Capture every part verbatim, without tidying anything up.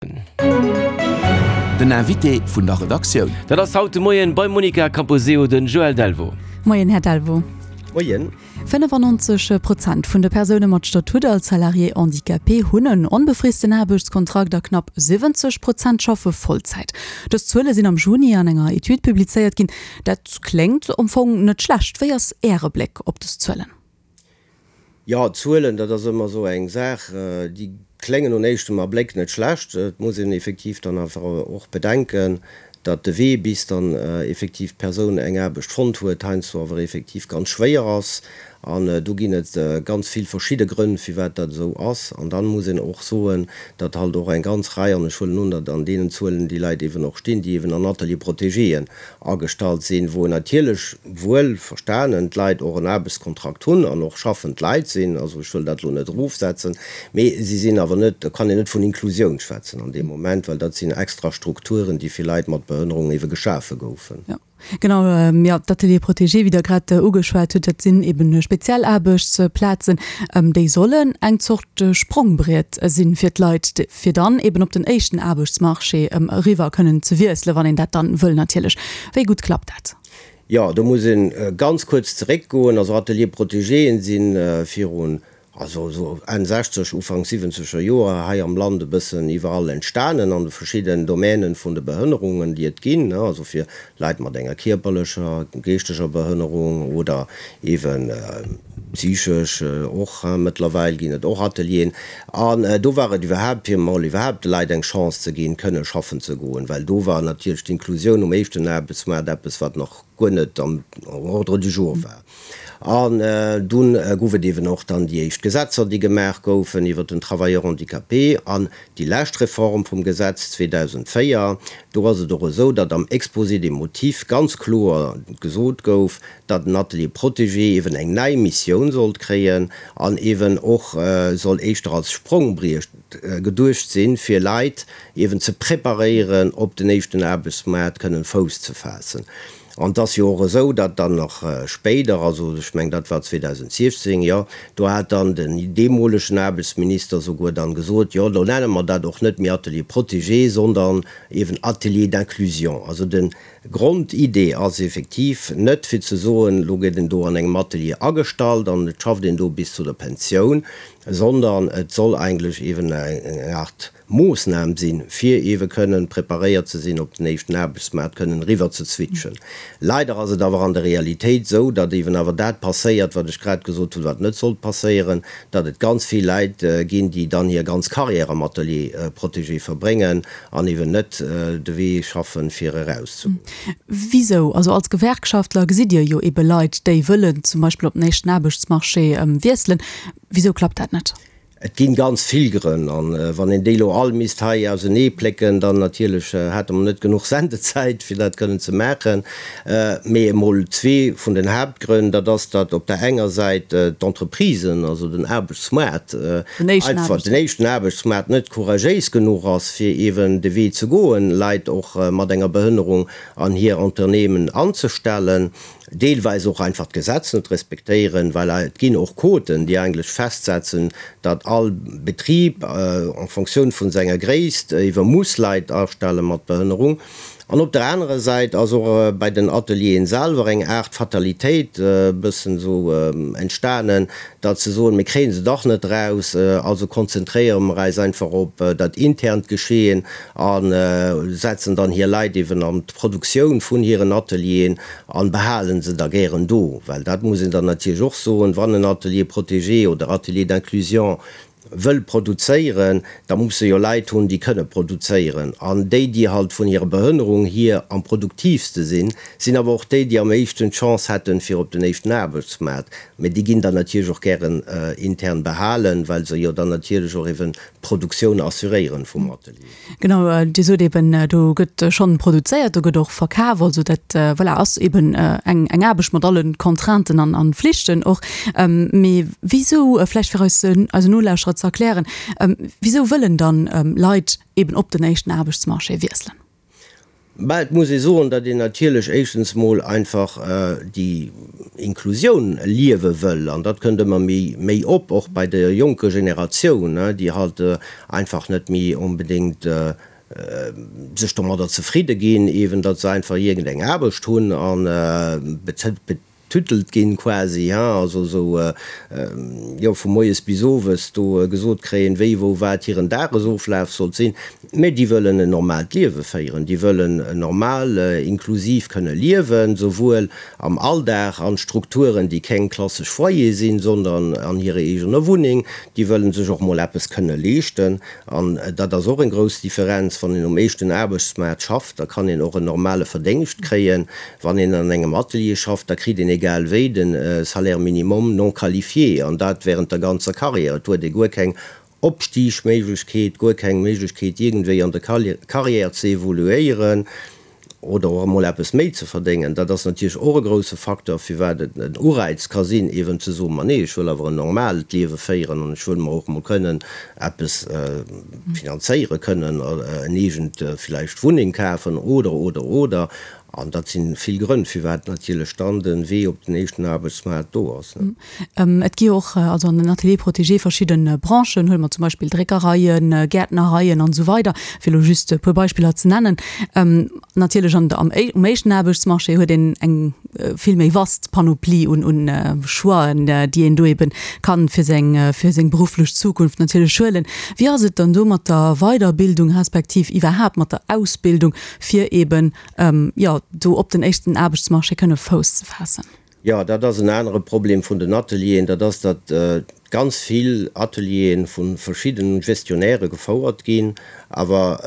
Den Invité vun der Redaktioun. Dat ass haut de Moien beim Monica Camposeo den Joël Delvaux. Moien, Här Delvaux. Moien. fënnefannonzeg Prozent vun de Persoune mat Statut als Salarié handicapé hunn en onbefristen Aarbechtskontrakt a knapp siwwenzeg Prozent schaffe Vollzäit. Dës Zuele sinn am Juni an enger Etüd publizéiert ginn. Dat kléngt am Fong net schlecht. Wéi ass Äre Bléck op dës Zuelen? Jo, Zuelen, dat ass ëmmer esou eng Saach, déi kléngen un éischtem Abléck net schlecht. Et muss een effektiv dann awer och bedenken, datt de Wee, bis dann effektiv d'Persoun eng Aarbecht fonnt huet, heiansdo awer effektiv ganz schwéier ass. An do ginn et ganz vill verschidde Grënn, firwat dat esou ass. An dann muss een och soen, datt halt och eng ganz Rei, an ech huelen un, datt an deenen Zuelen déi Leit eeben och stinn, déi eeben an Ateliers protégéen agestallt sinn, wou natierlech wuel verstanen d'Leit och en Aarbechtskontrakt hunn an och schaffend Leit sinn, also ech wëll dat elo net erofsetzen, mee si sinn awer net, do kann een net vun Inklusioun schwätzen an deem Moment, well dat sinn extra Strukturen, déi fir Leit mat Behënnerung eebe geschafe goufen. Genau, jo, d'Ateliers protégés, wéi Der grad ugeschwat hutt, dat sinn eben speziell Aarbechtsplazen, déi sollen eng Zort Sprongbriet sinn fir d'Leit, fir dann eben op den éischten Aarbechtsmarché eriwwer kënnen ze wiesselen, wann een dat dann wëll natierlech. Wéi gutt klappt dat? Jo, do muss ee ganz kuerz zeréckgoen. Also Ateliers protégéen si virun, also esou Enn sechzeg, Ufank siwwenzeger Joer hei am Land e bëssen iwwerall entstanen an de verschidden Domänen vun de Behënnerungen, déi et ginn, also fir Leit mat enger kierperlecher, geeschteger Behënnerung oder eeben psychesch och, mëttlerweil ginn et och Atelieren. An do war et iwwerhaapt, fir emol iwwerhaapt de Leit eng Chance ze ginn, kënne schaffen ze goen, well do war natierlech d'Inklusioun um éischten Aarbechtsmaart eppes, wat nach guer net am Ordre du jour war. An dunn gouf et eeben och dann déi éischt Gesetzer, déi gemaach goufen iwwert den Travailleur handicapé. An déi lescht Reform vum Gesetz zweedausendvéier, do ass et och esou, datt am Exposé des motifs ganz kloer gesot gouf, datt den Atelier protégé eeben eng nei Missioun sollt kréien an eeben och soll éischter als Sprongbriet geduecht sinn, fir Leit eeben ze preparéieren, op den éischten Aarbechtsmaart kënnen Fouss ze faassen. An et ass jo och esou, datt dann nach spéider, also ech mengen dat war zweedausensiechzéng, jo, do hat dann den deemolegen Aarbechtsminister souguer dann gesot, jo, lo nenne mer dat och net méi Atelier protégé, sondern eben Atelier d'inclusion. Also de Grondidee ass effektiv net fir ze soen, lo gëtt een do an engem Atelier agestallt an et schafft een do bis zu der Pensioun, sondern et soll eigentlech eben eng Art Moossnam sinn, fir eebe kënnen preparéiert ze sinn, op den éischten Aarbechtsmaart kënnen eriwwer ze switchen. Leider ass et awer an der Realitéit esou, datt eeben awer dat passéiert, wat ech grad gesot hunn, wat net sollt passéieren, datt et ganz vill Leit ginn, déi dann hir ganz Carrière am Atelier protégé verbréngen an eeben net de Wee schaffen, fir erauszegoen. Wisou? Also als Gewerkschaftler gesitt Dir jo eebe Leit, déi wëllen zum Beispill op den éischten Aarbechtsmarché wiesselen. Wisou klappt dat net? Et ginn ganz vill Grënn, an wann een déi elo all misst hei ausenee plécken, dann natierlech hätte mer net genuch Sendezäit, fir dat kënnen ze maachen. Mee emol zwee vun den Haaptgrënn, dat ass, datt op der enger Säit d'Entreprisen, also den Aarbechtsmaart, einfach den éischten Aarbechtsmaart net couragéis genuch ass, fir eeben de Wee ze goen, Leit och mat enger Behënnerung an hir Unternehmen anzestellen. Deelweis och einfach d'Gesetz net respektéieren, well et ginn och Quoten, déi eigentlech festsetzen, datt all Betrib en Fonctioun vun senger Gréisst iwwer muss Leit astelle mat Behënnerung. An op der anerer Säit ass och bei den Atelieren selwer eng Aart Fatalitéit e bëssen esou entstanen, datt se soen, mir kréie se dach net eraus, also konzentréiere mer eis einfach op dat internt Geschehen a setzen dann hir Leit eeben an d'Produktioun vun hiren Atelieren an behalen se da gären do, well dat muss een dann natierlech och soen, wann en Atelier protégé oder Atelier d'inclusion wëll produzéieren, da muss e jo Leit hunn, déi kënne produzéieren. An déi, déi halt vun hirer Behënnerung hier am produktiivste sinn, sinn awer och déi, déi am éischten d'Chance hätten, fir op den éischten Aarbechtsmaart. Mä déi ginn dann natierlech och gären intern behalen, well se jo dann natierlech och eeben d'Produktioun assuréieren vum Atelier. Genau, Dir sot eben, do gëtt schonn produzéiert, do gëtt och verkaf. Also dat, voilà, ass eben eng eng Aarbecht mat allen Contrainten an an Flichten och. Mee wisou, vläicht fir eis eisen Nolauschterer ze erklären, wisou wëllen dann Leit eben op den éischten Aarbechtsmarché wiesselen? Bah, et muss ee soen, datt een natierlech éischtens mol einfach déi Inklusioun liewe wëll, an dat kënnt ëmmer méi méi op, och bei der jonker Generatioun, déi halt einfach net méi onbedéngt sech domadder zefridde ginn, eeben datt se einfach iergendeng Aarbecht hunn a betüttelt ginn quasi, hein, also esou, jo, vu moies bis owes do gesot kréien, wéi, wou, wat hiren Dagesoflaf sollt sinn, mä déi wëllen en normaalt Liewe féieren, déi wëllen normal, inklusiv kënne liewen, souwuel am Alldag an Strukturen, déi keng klassesch Foyer sinn, sondern an hirer eegener Wunneng, déi wëllen sech och mol eppes kënne leeschten. An dat ass och eng grouss Differenz, wann een um éischten Aarbechtsmaart schafft, da kann een och en normale Verdéngscht kréien, wann een an engem Atelier schafft, da kritt een egal wéi de Salaire minimum non qualifié, an dat während der ganzer Carrière. Et huet ee guer keng Opstigméiglechkeet, guer keng Méiglechkeet iergendwéi an der Carrière ze evoluéieren oder och emol eppes méi ze verdéngen. Dat ass natierlech och e grouse Facteur, firwat et en Ureiz ka sinn, eeben ze soen, ma nee, ech wëll awer en normaalt Liewe féieren an ech wëll mer och emol kënnen eppes finanzéiere kënnen, en eegent villäicht Wunneng kafen oder, oder, oder. An dat si vill Grënn, firwat natierlech dann de Wee op den éischten Aarbechtsmaart do ass. Et gi jo och, also an den Ateliers protégés, verschidde Branchen, huele mer zum Beispill Dréckereien, Gäertnereien an esou weider, fir elo just e puer Beispiller ze nennen. Natierlech an der, am, um éischten Aarbechtsmarché huet een eng vill méi vast Panoplie un, un Choixen, déi een do eeben kann fir seng, fir seng berufflech Zukunft natierlech huelen. Wéi ass et dann do mat der Weiderbildung respektiv iwwerhaapt mat der Ausbildung, fir eeben, jo, do op den éischten Aarbechtsmarché kënne Fouss ze faassen? Jo, dat ass en anere Problem vun den Atelieren, dat ass, datt ganz vill Ateliere vu verschiddene Gestionnairë gefouert ginn, awer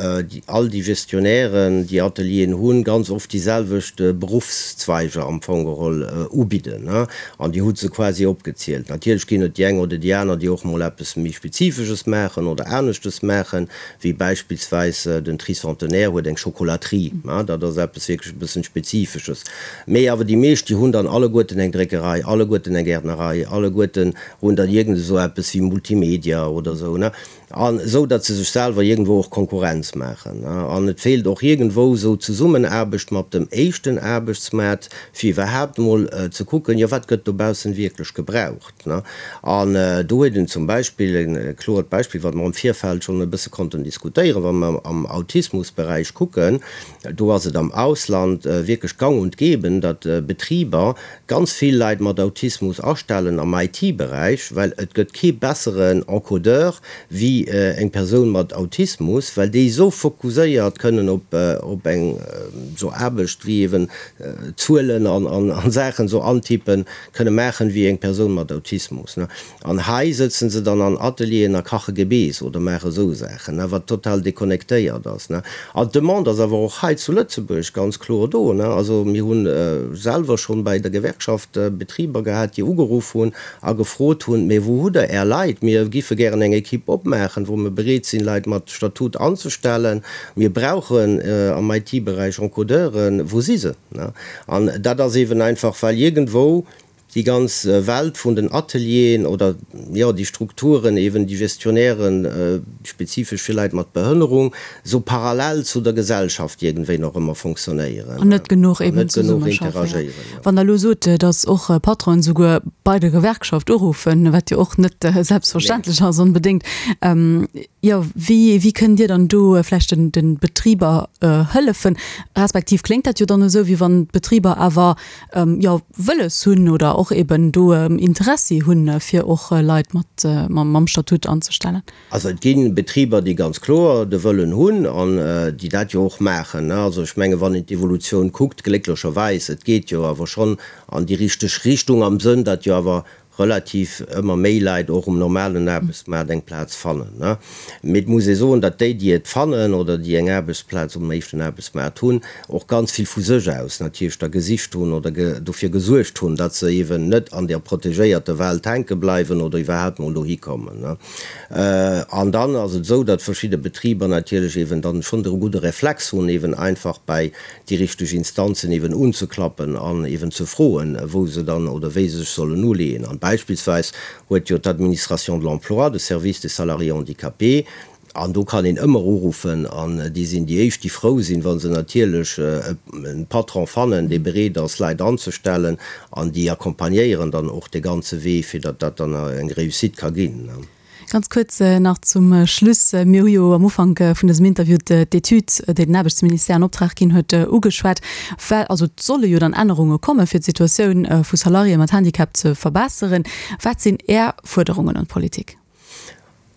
all déi Gestionnairen, déi Atelieren hunn, ganz oft déi selwecht Beruffszweiger am Fong geholl ubidden, an Dir hutt se quasi opgezielt. Natierlech ginn et déi eng oder déi aner, déi och mol eppes méi Spezifesches maachen oder aneschtes maachen, wéi beispillsweis den Tricentenaire huet eng Chocolaterie, dat ass eppes wierklech e bëssen Spezifesches. Mee awer déi meescht, déi hunn dann alleguerten eng Dréckerei, alleguerten eng Gäertnerei, alleguerten hunn dann iergend esou eppes wéi Multimedia oder esou, ne, an esou datt se sech selwer iergendwou och Konkurrenz maachen, ne. An et feelt och iergendwou esou d'Zesummenaarbecht mat dem éischten Aarbechtsmaart, fir iwwerhaapt emol ze kucken, jo wat gëtt dobaussen wierklech gebraucht, ne. An do huet een zum Beispill e kloert Beispill, wat mer am Virfeld schonn e bësse konnten diskutéieren, wa mer am Autismusberäich kucken, do ass et am Ausland wierklech gang und gäbe, datt Betriber ganz vill Leit mat Autismus astellen am I T-Beräich, well et gëtt kee besseren Encodeur wéi eng Persoun mat Autismus, well déi esou fokuséiert kënnen op op eng esou Aarbecht wéi eben Zuelen an an Saachen esou antippen kënne maachen wéi eng Persoun mat Autismus. An hei sëtzen se dann an Atelieren a kache Gebeess oder maache esou Saachen, wat total deconnectéiert ass. An d'Demande ass awer och hei zu Lëtzebuerg ganz kloer do. Also mir hu selwer schonn bei der Gewerkschaft Betriber gehat, déi ugeruff hunn a gefrot hunn, Mee wou hutt Der Är Leit? Mir giffe gären eng Ekipp opmaachen, wou mir bereet sinn, Leit mat Statut anzestellen. Mir brauchen am I T-Beräich Encodeuren. Wou si se? An dat ass eeben einfach, well iergendwou déi ganz Welt vun den Atelieren oder, jo, déi Strukturen, eben déi Gestionnairen, spezifesch fir Leit mat Behënnerung, esou parallel zu der Gesellschaft iergendwéi nach ëmmer fonctionnéieren. An net genuch eben zesummeschaffen. Interagéieren, jo. Wann Der elo sot, datt och Patronen souguer bei der Gewerkschaft uruffen, wat jo och net selbstverständlech ass onbedéngt, jo, wéi, wéi kënnt Dir dann do vläicht den, de Betriber hëllefen? Respektiv kléngt dat jo dann esou, wéi wann d'Betriber awer, jo, wëlles hunn oder och eben do Interessi hunn, fir och Leit mat, mam Statut anzestellen. Also et gi Betriber, déi ganz kloer de Wëllen hunn an déi dat jo och maachen. Also ech menge wann een d'Evolutioun kuckt, glécklecherweis, et geet jo awer schonn an déi richteg Richtung am Sënn, datt jo awer relativ ëmmer méi Leit och um normalen Aarbechtsmaart eng Plaz fannen. Mee et muss ee soen, datt déi, déi et fannen oder déi eng Aarbechtsplaz um éischten Aarbechtsmaart hunn, och ganz vill vu sech aus natierlech da gesicht hunn oder dofir gesuergt hunn, datt se eeben net an där protegéierter Welt hänke bleiwen oder iwwerhaapt mol dohi kommen. An dann ass et esou, datt verschidde Betriber natierlech eeben dann schonn de gudde Reflex hunn, eeben einfach bei déi richteg Instanzen eeben unzeklappen an eeben ze froen, wou se dann oder wéi se sech sollen uleeën. An beispillsweis huet jo d'Administration de l'emploi, de Service des salariés handicapés, An do kann een ëmmer uruffen an déi sinn déi éischt, déi frou sinn, wa se natierlech e Patron fannen, dee bereet ass, Leit anzestellen, an déi accompagnéieren dann och dee ganze Wee, fir datt dat dann eng Réussite ka ginn. Ganz kuerz nach zum Schluss, Mir hu jo am Ufank vun dësem Interview d'Etüd, déi den Aarbechtsministère an Optrag ginn huet, ugeschwat. Well, also et solle jo dann Ännerunge komme fir d'Situatioun vu Salariéë mat Handicap ze verbesseren. Wat sinn Är Fuerderungen un d'Politik?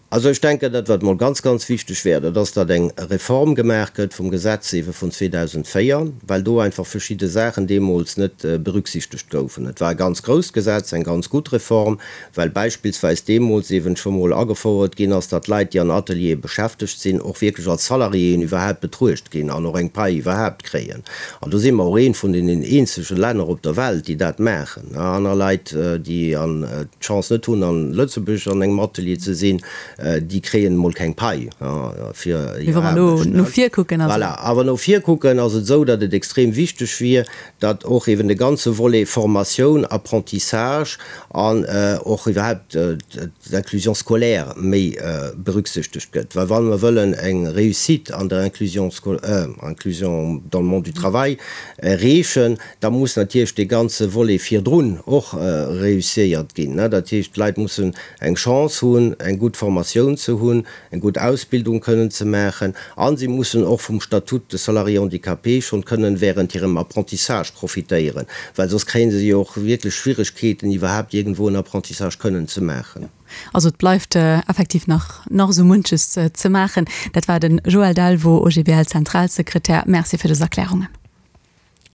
Also ech denken, dat wat mol ganz, ganz wichteg wär, dat ass, datt eng Reform gemaach gëtt vum Gesetz eebe vun zweedausendvéier well do einfach verschidde Saachen deemools net berücksichtegt goufen. Et war e ganz grousst Gesetz, eng ganz gutt Reform, well beispillsweis deemools eeben scho mol agefouert ginn ass, datt Leit, déi an Ateliere beschäftegt sinn, och wierklech als Salariéen iwwerhaapt betruecht ginn an och eng Pai iwwerhaapt kréien. An do si mer och eent vun deenen eenzege Länner op der Welt, déi dat maachen. Aner Leit, déi d'Chance net hunn, a Lëtzebuerg an engem Atelier ze sinn, déi kréien emol keng Pai fir hir Aarbecht. No vir kucken also. Voilà. Awer no vir kucken ass et esou, datt et extrem wichteg wier, datt och eben de ganze Volet Formatioun, Apprentissage an och iwwerhaupt d'Inclusion scolaire méi berücksichtegt gëtt. Well wa mer wëllen eng Réussite an der Inclusion, Inclusion dans le monde du travail erreechen, da muss natierlech dee ganze Volet virdrun och reusséiert ginn. Dat heescht, d'Leit mussen eng Chance hunn, eng gutt Formatioun ze hunn, eng gutt Ausbildung kënnen ze maachen a si mussen och vum Statut de salarié handicapé schonn kënnen während hirem Apprentissage profitéieren, well soss kréie se jo och wierklech Schwieregkeeten, iwwerhaapt iergendwou en Apprentissage kënnen ze maachen. Also et bleift effektiv nach nach esou munches ze maachen. Dat war den Joël Delvaux, O G B L-Zentralsekretär. Merci fir dës Erklärungen.